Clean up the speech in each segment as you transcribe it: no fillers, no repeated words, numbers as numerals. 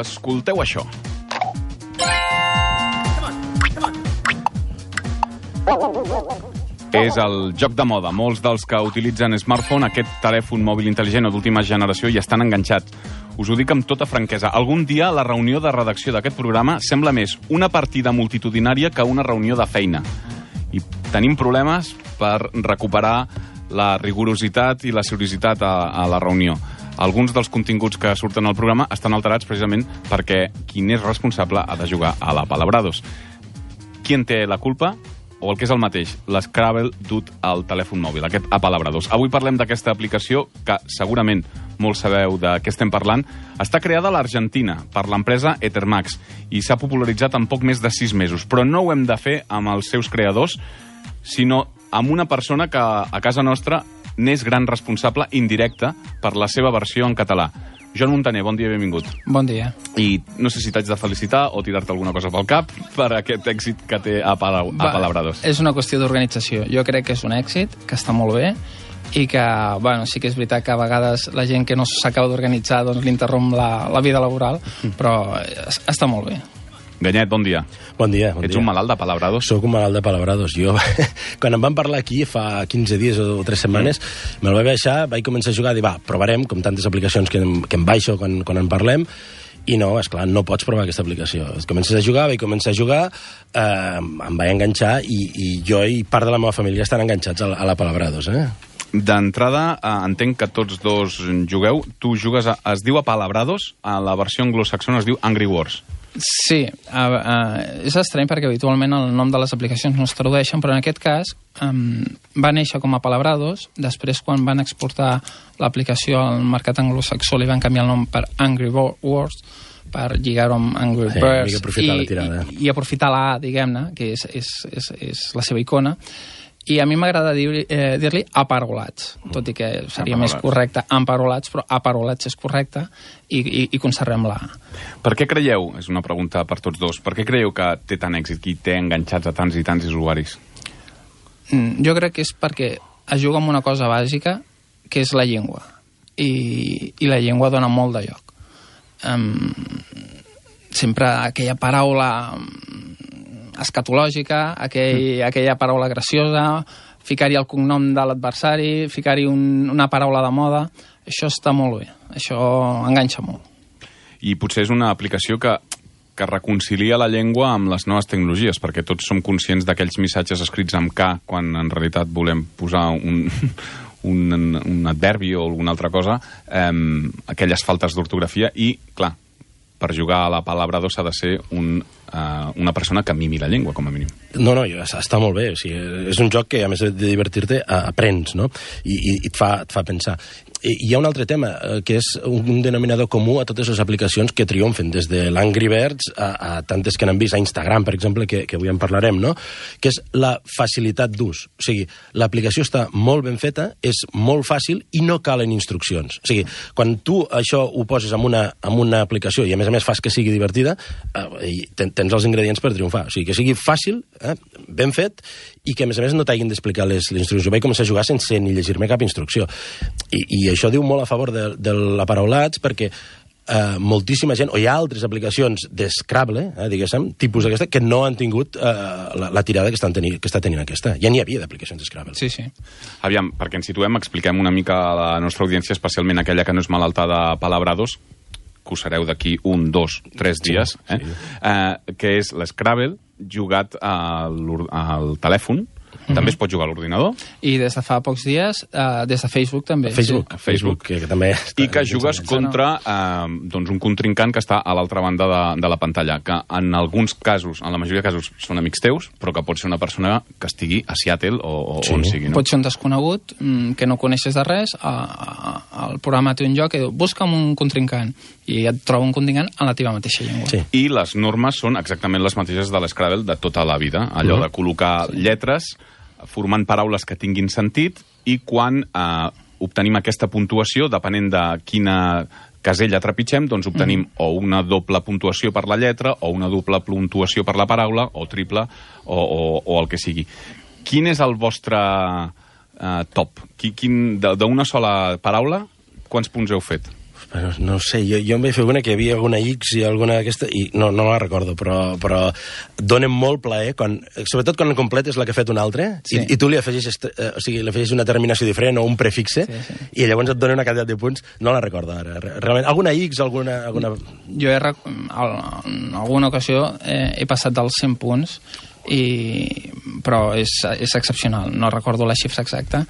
Escolteu això. És el joc de moda. Molts dels que utilitzen smartphone, aquest telèfon mòbil intel·ligent o d'última generació, hi estan enganxats. Us ho dic amb tota franquesa. Algun dia la reunió de redacció d'aquest programa sembla més una partida multitudinària que una reunió de feina. I tenim problemes per recuperar la rigorositat i la seriositat a la reunió. Alguns dels continguts que surten al programa estan alterats precisament perquè qui n'és responsable ha de jugar a la Palabrados. Qui en té la culpa? O el que és el mateix, l'Scrabble dut al telèfon mòbil, aquest Apalabrados. Avui parlem d'aquesta aplicació que segurament molts sabeu de què estem parlant. Està creada a l'Argentina per l'empresa Ethermax i s'ha popularitzat en poc més de 6 mesos. Però no ho hem de fer amb els seus creadors, sinó amb una persona que a casa nostra n'és gran responsable indirecte per la seva versió en català. Joan Montaner, bon dia i benvingut. Bon dia. I no sé si t'haig de felicitar o tirar-te alguna cosa pel cap per aquest èxit que té Apalabrados. És una qüestió d'organització. Jo crec que és un èxit, que està molt bé, i que, bueno, sí que és veritat que a vegades la gent que no s'acaba d'organitzar doncs l'interromp la vida laboral, però està molt bé. Ganyet, bon dia. Bon dia. Ets un malalt de Palabrados? Soc un malalt de Palabrados. Jo, quan em van parlar aquí fa 15 dies o 3 setmanes, me'l vaig baixar, vaig començar a jugar, dir, va, provarem, com tantes aplicacions que em baixo quan en parlem, i no, esclar, no pots provar aquesta aplicació. Comences a jugar, vaig començar a jugar, em vaig enganxar, i jo i part de la meva família estan enganxats a la Palabrados, D'entrada, entenc que tots dos jugueu. Tu jugues, es diu Apalabrados, a la versió anglosaxona es diu Angry Wars. Sí, és estrany perquè habitualment el nom de les aplicacions no es tradueixen, però en aquest cas va néixer com a Palabrados, després quan van exportar l'aplicació al mercat anglosaxó li van canviar el nom per Angry Wars, per lligar-ho amb Angry Birds i aprofitar la A, diguem-ne, que és la seva icona. I a mi m'agrada dir-li aparolats, tot i que seria més correcte emparolats, però aparolats és correcte i conservem la A. Per què creieu, és una pregunta per tots dos, per què creieu que té tant èxit, qui té enganxats a tants i tants usuaris? Jo crec que és perquè es juga amb una cosa bàsica, que és la llengua. I la llengua dona molt de lloc. Sempre aquella paraula escatològica, aquella paraula graciosa, ficar-hi el cognom de l'adversari, ficar-hi una paraula de moda, això està molt bé, això enganxa molt. I potser és una aplicació que reconcilia la llengua amb les noves tecnologies, perquè tots som conscients d'aquells missatges escrits amb K, quan en realitat volem posar un adverbi o alguna altra cosa, aquelles faltes d'ortografia, i, clar, per jugar a la Palabrados s'ha de ser una persona que mimi la llengua, com a mínim. No, està molt bé. O sigui, és un joc que, a més de divertir-te, aprens, no? I et fa pensar. Hi ha un altre tema, que és un denominador comú a totes les aplicacions que triomfen, des de l'Angry Birds a tantes que n'han vist, a Instagram, per exemple, que avui en parlarem, no? Que és la facilitat d'ús. O sigui, l'aplicació està molt ben feta, és molt fàcil i no calen instruccions. O sigui, quan tu això ho poses en una aplicació i, a més fas que sigui divertida, tens els ingredients per triomfar. O sigui, que sigui fàcil, ben fet, i que, a més no t'hagin d'explicar les instruccions. Jo vaig començar a jugar sense ni llegir-me cap instrucció. I això diu molt a favor de l'aparaulats, perquè moltíssima gent, o hi ha altres aplicacions d'Scrabble, diguéssim, tipus d'aquesta, que no han tingut la tirada que està tenint aquesta. Ja n'hi havia d'aplicacions d'Scrabble. Sí, sí. Aviam, perquè ens situem, expliquem una mica a la nostra audiència, especialment aquella que no és malalta de Palabrados, que ho sereu d'aquí 1, 2, 3 dies, que és l'Scrabble jugat al telèfon. També es pot jugar a l'ordinador. I des de fa pocs dies, des de Facebook també. Facebook, que també... I que jugues contra un contrincant que està a l'altra banda de la pantalla, que en alguns casos, en la majoria de casos, són amics teus, però que pot ser una persona que estigui a Seattle o on sigui. No? Pot ser un desconegut, que no coneixes de res, el programa té un joc que diu, busca'm un contrincant, i et troba un contrincant en la teva mateixa llengua. Sí. I les normes són exactament les mateixes de l'Scrabble de tota la vida, allò de col·locar lletres formant paraules que tinguin sentit, i quan obtenim aquesta puntuació, depenent de quina casella trepitgem, doncs obtenim o una doble puntuació per la lletra, o una doble puntuació per la paraula, o triple, o el que sigui. Quin és el vostre top? D'una sola paraula, quants punts heu fet? No sé, jo em vaig fer una que hi havia alguna X i alguna d'aquesta, i no la recordo, però donen molt plaer, sobretot quan completes la que ha fet un altre, i tu li afegeixes, li afegeixes una terminació diferent o un prefixe, i llavors et dona una quantitat de punts. No la recordo ara, realment. Alguna X, alguna... Jo en alguna ocasió he passat dels 100 punts, però és excepcional. No recordo la xifra exacta,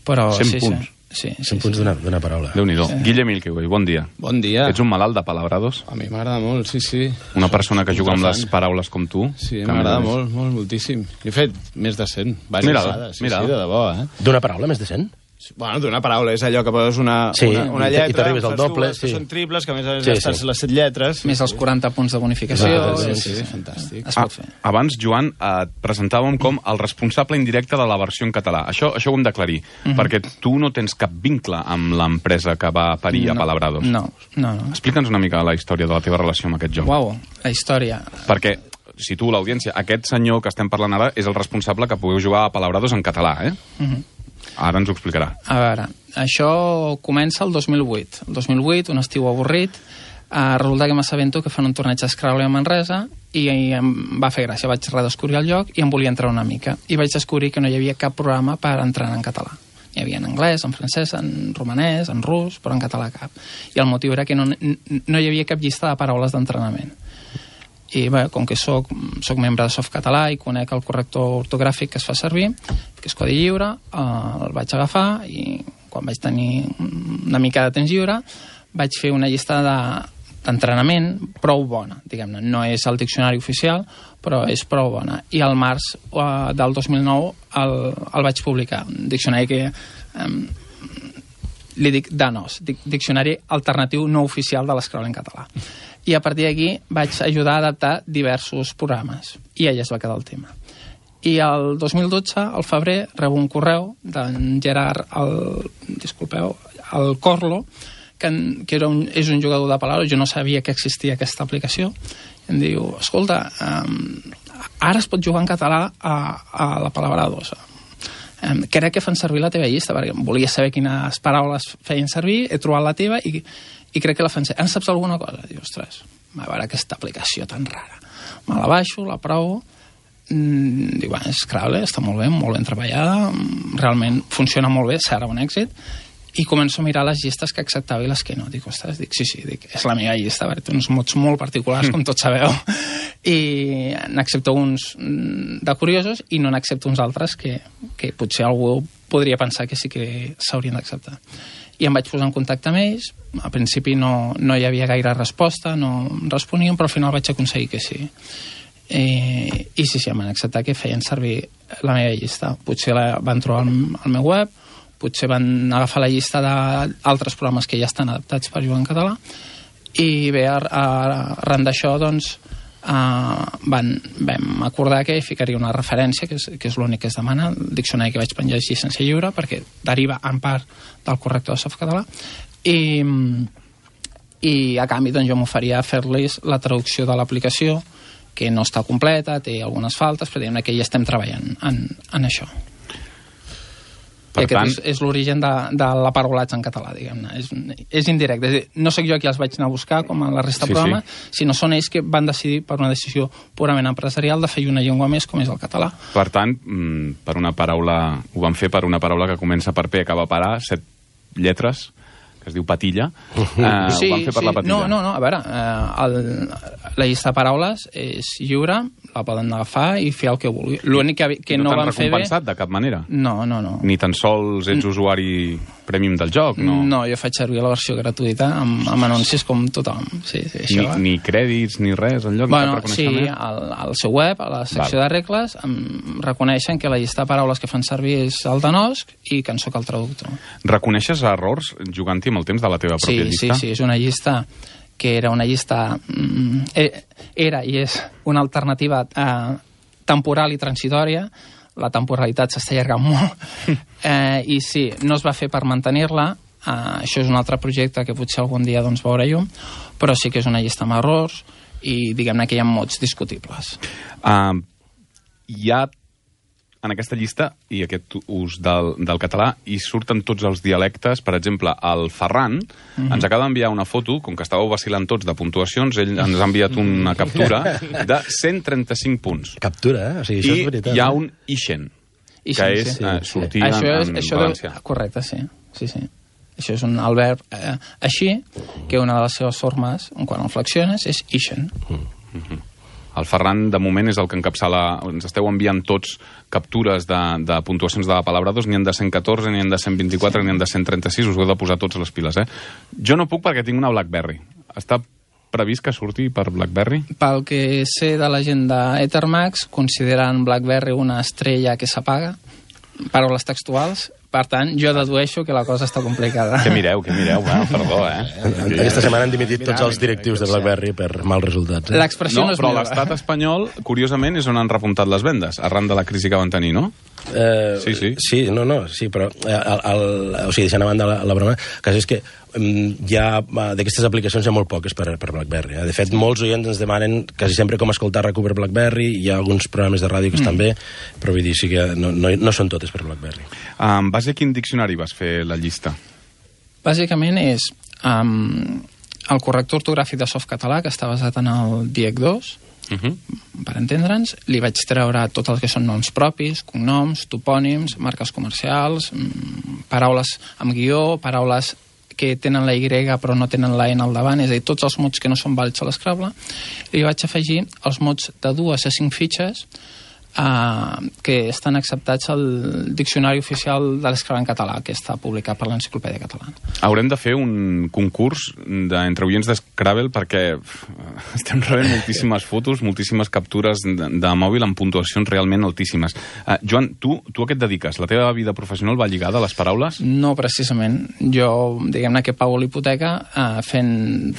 però 100 punts? Sí. 100 punts d'una paraula. Déu-n'hi-do. Guille Milkeway, bon dia. Bon dia. Ets un malalt de palabrados? A mi m'agrada molt, sí. Una persona que juga amb les paraules com tu? Sí, m'agrada moltíssim. He fet més de 100. Mira. Sí, de debò, D'una paraula més de 100? Bueno, d'una paraula, és allò que poses una lletra, i t'arribes al doble, que són triples, que a més estàs les 7 lletres. Més els 40 punts de bonificació. Sí, fantàstic. Es pot fer. Abans, Joan, et presentàvem com el responsable indirecte de la versió en català. Això ho hem d'aclarir, perquè tu no tens cap vincle amb l'empresa que va parir a Palabrados. No. Explica'ns una mica la història de la teva relació amb aquest joc. Uau, la història. Perquè, si tu, l'audiència, aquest senyor que estem parlant ara és el responsable que pugueu jugar a Palabrados en català, Ara ens ho explicarà. A veure, això comença el 2008. El 2008, un estiu avorrit, resulta que m'assabento que fan un torneig d'Scrabble a Manresa i em va fer gràcia. Vaig redescobrir el lloc i em volia entrar una mica. I vaig descobrir que no hi havia cap programa per entrenar en català. Hi havia en anglès, en francès, en romanès, en rus, però en català cap. I el motiu era que no hi havia cap llista de paraules d'entrenament. I bé, com que soc membre de Softcatalà i conec el corrector ortogràfic que es fa servir, que és codi lliure, el vaig agafar i quan vaig tenir una mica de temps lliure vaig fer una llista d'entrenament prou bona, diguem-ne. No és el diccionari oficial, però és prou bona. I al març del 2009 el vaig publicar. Un diccionari que li dic DANOS, diccionari alternatiu no oficial de l'Scrabble en català. I a partir d'aquí vaig ajudar a adaptar diversos programes. I allà es va quedar el tema. I el 2012, al febrer, rebo un correu d'en Gerard, el Corlo, que és un jugador de Palabrados. Jo no sabia que existia aquesta aplicació. I em diu, escolta, ara es pot jugar en català a la Palabrados. Crec que fan servir la teva llista, perquè volia saber quines paraules feien servir, he trobat la teva i crec que la fan servir. En saps alguna cosa? Diu, ostres, a veure aquesta aplicació tan rara. Me la baixo, la provo, diu, bueno, Scrabble està molt ben treballada, realment funciona molt bé, serà un èxit, i començo a mirar les llistes que acceptava i les que no. Dic, ostres, sí, és la meva llista, perquè té uns mots molt particulars, com tots sabeu, i n'accepto uns de curiosos i no n'accepto uns altres que potser algú podria pensar que sí que s'haurien d'acceptar. I em vaig posar en contacte amb ells. Al principi no hi havia gaire resposta, no responien, però al final vaig aconseguir que sí. I sí, em van acceptar que feien servir la meva llista. Potser la van trobar al meu web, potser van agafar la llista d'altres programes que ja estan adaptats per jugar en català, i bé, arran d'això, doncs, vam acordar que ficaria una referència, que és l'únic que es demana. El diccionari que vaig penjar és llicència lliure, perquè deriva en part del corrector de Softcatalà, i a canvi doncs, jo m'oferia a fer-los la traducció de l'aplicació, que no està completa, té algunes faltes, però diguem que ja estem treballant en això. I aquest és l'origen de la paraulatge en català, diguem-ne. És indirecte. És dir, no sóc jo qui els vaig anar a buscar, com a la resta de programes, sinó són ells que van decidir, per una decisió purament empresarial, de fer una llengua més, com és el català. Per tant, ho van fer per una paraula que comença per P i acaba per A, 7 lletres, que es diu patilla. Ho van fer per la patilla. No, a veure, la llista de paraules és lliure, la poden agafar i fer el que vulgui. L'únic que no van fer bé... No t'han recompensat de cap manera? No. Ni tan sols ets usuari prèmium del joc, no? No, jo faig servir la versió gratuïta amb anuncis com tothom. Sí, això. Ni crèdits, ni res, enlloc de cap reconeixement? Sí, al seu web, a la secció de regles, em reconeixen que la llista de paraules que fan servir és el DANOSC i que en soc el traductor. Reconeixes errors jugant-hi amb el temps de la teva pròpia llista? Sí, és una llista que era una llista... Era i és una alternativa temporal i transitòria. La temporalitat s'està allargant molt. I sí, no es va fer per mantenir-la. Això és un altre projecte que potser algun dia doncs, veurà llum, però sí que és una llista amb errors i diguem-ne que hi ha mots discutibles. Hi ha en aquesta llista i aquest ús del català i surten tots els dialectes. Per exemple, el Ferran ens acaba d'enviar una foto, com que estàveu vacilant tots de puntuacions, ell ens ha enviat una captura de 135 punts. Captura, O sigui, això és veritat. I hi ha un Ixen, que és sortir en valencià. Correcte, sí. Això és un verb així, que una de les seves formes, quan el flexiones, és Ixen. El Ferran, de moment, és el que encapçala... Ens esteu enviant tots captures de puntuacions de Palabrados, n'hi ha de 114, n'hi ha de 124, n'hi ha de 136, us heu de posar tots les piles, Jo no puc perquè tinc una BlackBerry. Està previst que surti per BlackBerry? Pel que sé de la gent d'Ethermax, consideren BlackBerry una estrella que s'apaga, paraules textuals. Per tant, jo dedueixo que la cosa està complicada. Què mireu? Bueno, perdó, Aquesta setmana han dimitit tots els directius de BlackBerry per mals resultats. L'expressió no és però meva. l'estat espanyol, curiosament, és on han repuntat les vendes, arran de la crisi que van tenir, no? Sí, però o sigui, deixant a banda la broma, el cas és que d'aquestes aplicacions hi ha molt poques per BlackBerry. De fet, molts oients ens demanen quasi sempre com escoltar RAC1 per BlackBerry, hi ha alguns programes de ràdio que estan bé, però vull dir, sí que no són totes per BlackBerry. En base a quin diccionari vas fer la llista? Bàsicament és el corrector ortogràfic de Softcatalà, que està basat en el DIEC 2, per entendre'ns, li vaig treure tot el que són noms propis, cognoms, topònims, marques comercials, paraules amb guió, paraules que tenen la Y però no tenen la N al davant, és a dir, tots els mots que no són vàlids a l'Scrabble. Li vaig afegir els mots de 2 a 5 fitxes que estan acceptats al Diccionari Oficial de l'Scrabble en català, que està publicat per l'Enciclopèdia Catalana. Haurem de fer un concurs entre oients d'Scrabble perquè estem rebent moltíssimes fotos, moltíssimes captures de mòbil amb puntuacions realment altíssimes. Joan, tu a què et dediques? La teva vida professional va lligada a les paraules? No, precisament. Jo, diguem-ne, que pago l'hipoteca fent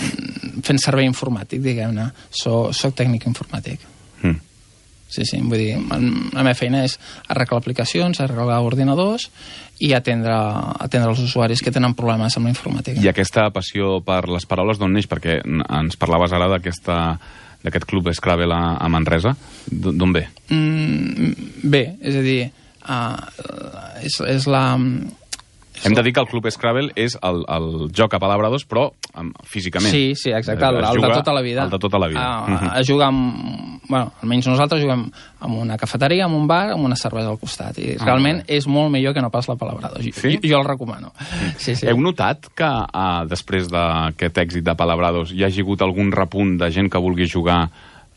servei informàtic, diguem-ne. Soc tècnic informàtic. Sí, vull dir, la meva feina és arreglar aplicacions, arreglar ordinadors i atendre els usuaris que tenen problemes amb la informàtica. I aquesta passió per les paraules d'on neix? Perquè ens parlaves ara d'aquest club Scrabble a Manresa. D'on ve? Bé, és a dir, és la... Hem de dir que el Club Scrabble és el joc a Palabrados, però físicament. Sí, exacte, el de tota la vida. El de tota la vida. Es juga amb... Bueno, almenys nosaltres juguem en una cafeteria, en un bar, amb una cervesa al costat. I realment és molt millor que no pas la Palabrados. Sí? Jo el recomano. Sí. Heu notat que després d'aquest èxit de Palabrados hi hagi hagut algun repunt de gent que vulgui jugar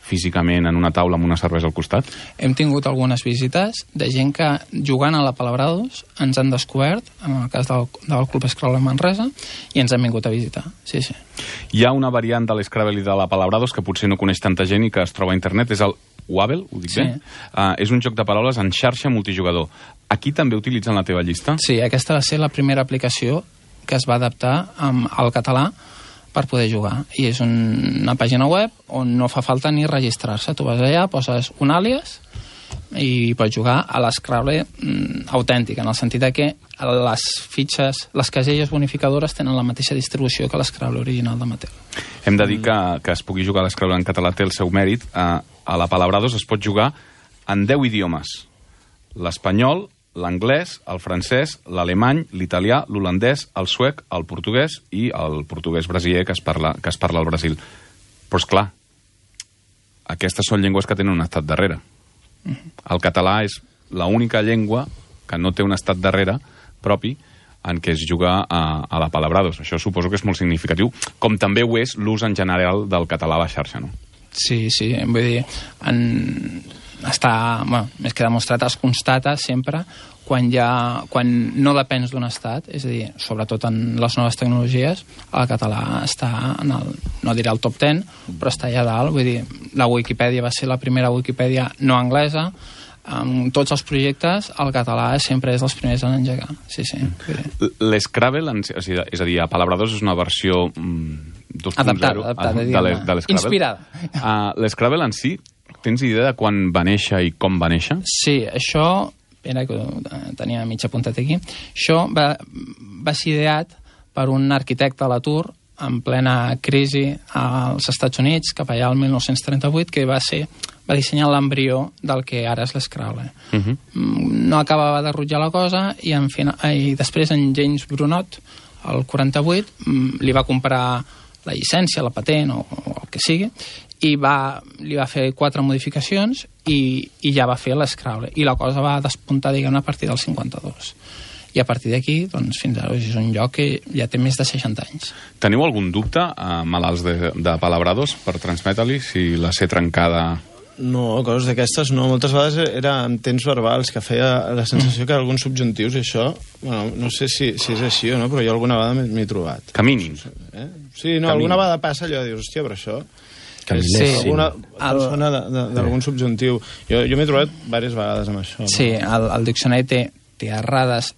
físicament en una taula amb una cervesa al costat? Hem tingut algunes visites de gent que, jugant a la Palabrados, ens han descobert, en el cas del Club Scrabble Manresa, i ens han vingut a visitar. Sí. Hi ha una variant de l'Scrabble i de la Palabrados que potser no coneix tanta gent i que es troba a internet, és el Wabble, ho dic bé? És un joc de paraules en xarxa multijugador. Aquí també utilitzen la teva llista? Sí, aquesta va ser la primera aplicació que es va adaptar al català per poder jugar. I és una pàgina web on no fa falta ni registrar-se. Tu vas allà, poses un àlies i pots jugar a l'Scrabble autèntic, en el sentit que les fitxes, les caselles bonificadores tenen la mateixa distribució que l'Scrabble original de Mattel. Hem de dir que es pugui jugar a l'Scrabble en català té el seu mèrit. A la Palabrados es pot jugar en 10 idiomes. L'espanyol, l'anglès, el francès, l'alemany, l'italià, l'holandès, el suec, el portuguès i el portuguès brasiler que es parla al Brasil. Però, és clar, aquestes són llengües que tenen un estat darrere. El català és l'única llengua que no té un estat darrere propi en què es juga a la Palabrados. Això suposo que és molt significatiu, com també ho és l'ús en general del català a la xarxa, no? Sí, vull dir, més que demostrat, es constata sempre quan no depens d'un estat, és a dir, sobretot en les noves tecnologies, el català està no diré el top 10, però està allà dalt. Vull dir, la Wikipedia va ser la primera Wikipedia no anglesa. En tots els projectes, el català sempre és dels primers a engegar. Sí. L'Scrabble, és a dir, a Palabrados és una versió 2.0 de l'Scrabble. Inspirada. L'Scrabble en si, tens idea de quan va néixer i com va néixer? Sí, això... Espera, que tenia mig apuntat aquí. Això va ser ideat per un arquitecte a l'atur en plena crisi als Estats Units, cap allà al 1938, que va ser va dissenyar l'embrió del que ara és l'Scrabble. No acabava de rutllar la cosa i després en James Brunot, el 48, li va comprar la llicència, la patent o el que sigui, i li va fer 4 modificacions i ja va fer l'Scrabble. I la cosa va despuntar, diguem-ne, a partir del 52. I a partir d'aquí, doncs, fins ara és un lloc que ja té més de 60 anys. Teniu algun dubte, malalts de Palabrados, per transmetre-li, si la C trencada... No, coses d'aquestes no. Moltes vegades era amb temps verbals, que feia la sensació que alguns subjuntius i això, bueno, no sé si és així o no, però jo alguna vegada m'he trobat. Que mínim. Sí, no, alguna vegada passa allò de dir, hòstia, però això... Sí. Alguna persona d'algun subjuntiu. Jo m'he trobat diverses vegades amb això. Sí, el diccionari té errades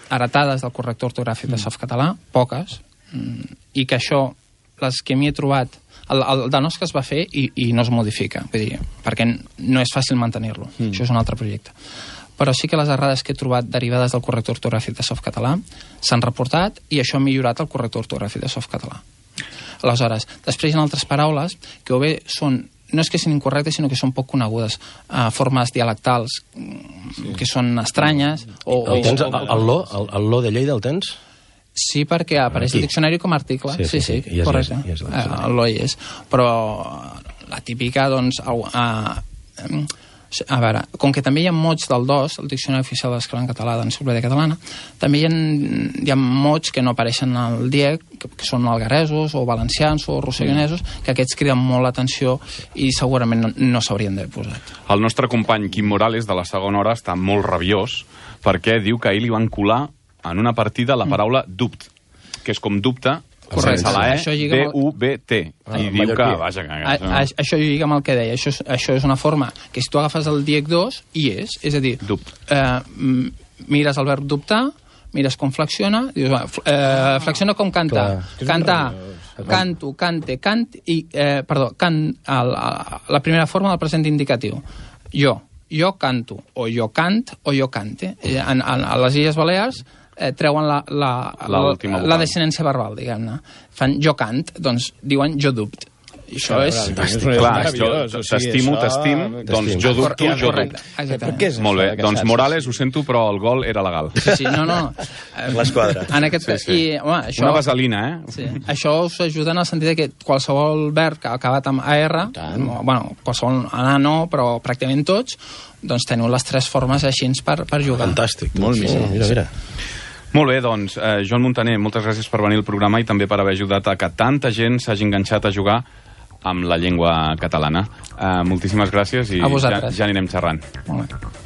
heretades del corrector ortogràfic de Softcatalà, poques, i que això, les que m'hi he trobat, el de nos que es va fer i no es modifica, vull dir, perquè no és fàcil mantenir-lo, això és un altre projecte. Però sí que les errades que he trobat derivades del corrector ortogràfic de Softcatalà s'han reportat i això ha millorat el corrector ortogràfic de Softcatalà. Aleshores, després hi ha altres paraules que o bé no és que siguin incorrectes, sinó que són poc conegudes, formes dialectals que són estranyes. El lo de Lleida el tens? Sí, perquè apareix el diccionari com a article. Sí, correcte. El lo hi és. Però la típica, doncs... A veure, com que també hi ha mots del dos, el diccionari oficial de l'escola en català d'enciclopèdia catalana, també hi ha mots que no apareixen al DIEC, que són algaresos o valencians o rossellonesos, que aquests criden molt l'atenció i segurament no s'haurien d'haver posat. El nostre company Quim Morales, de la segona hora, està molt rabiós perquè diu que ahir li van colar en una partida la paraula dubt, que és com dubte, sense la E, D-U-B-T. I diu que, vaja... Això lliga amb el que deia. Això és una forma que si tu agafes el DIEC 2, hi és. És a dir, mires el verb dubtar, mires com flexiona, dius, flexiona com cantar. Cantar, canto, cante, cant, i... Perdó, la primera forma del present indicatiu. Jo canto, o jo cant, o jo cante. A les Illes Balears treuen la desinència verbal, diguem-ne. Fan jo cant, doncs diuen jo dubt. I això és... Clar, t'estimo, doncs jo dubto, jo dubto. Molt bé, doncs Morales, ho sento, però el gol era legal. Sí, no. L'esquadra. Una vaselina, Sí. Això us ajuda en el sentit que qualsevol verb que ha acabat amb AR, bueno, qualsevol anar no, però pràcticament tots, doncs teniu les 3 formes així per jugar. Fantàstic. Molt bé. Mira. Molt bé, doncs, Joan Muntaner, moltes gràcies per venir al programa i també per haver ajudat a que tanta gent s'hagi enganxat a jugar amb la llengua catalana. Moltíssimes gràcies i ja anirem xerrant. Molt bé.